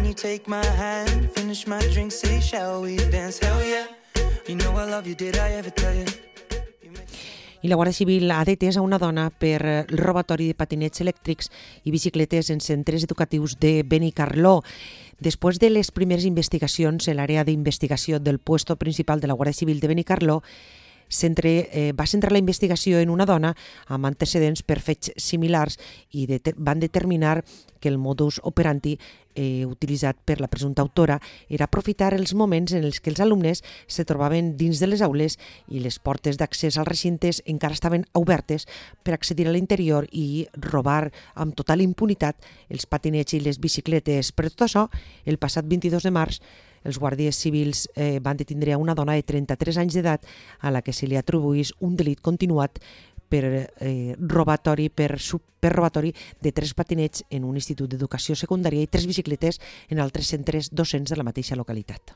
you take my hand, finish my drink, say shall we dance, hell yeah. You know I love you, did I ever tell you? I la Guàrdia Civil ha detès a una dona per el robatori de patinets elèctrics i bicicletes en centres educatius de Benicarló. Després de les primeres investigacions, l'àrea d'investigació del puesto principal de la Guàrdia Civil de Benicarló va centrar la investigació en una dona amb antecedents per fets similars i van determinar que el modus operandi utilitzat per la presumpta autora era aprofitar els moments en els que els alumnes se trobaven dins de les aules i les portes d'accés als recintes encara estaven obertes per accedir a l'interior i robar amb total impunitat els patinets i les bicicletes. Per tot això, el passat 22 de març, els guàrdies civils van detindre a una dona de 33 anys d'edat a la que se li atribuís un delit continuat per robatori de 3 patinets en un institut d'educació secundària i 3 bicicletes en altres centres docents de la mateixa localitat.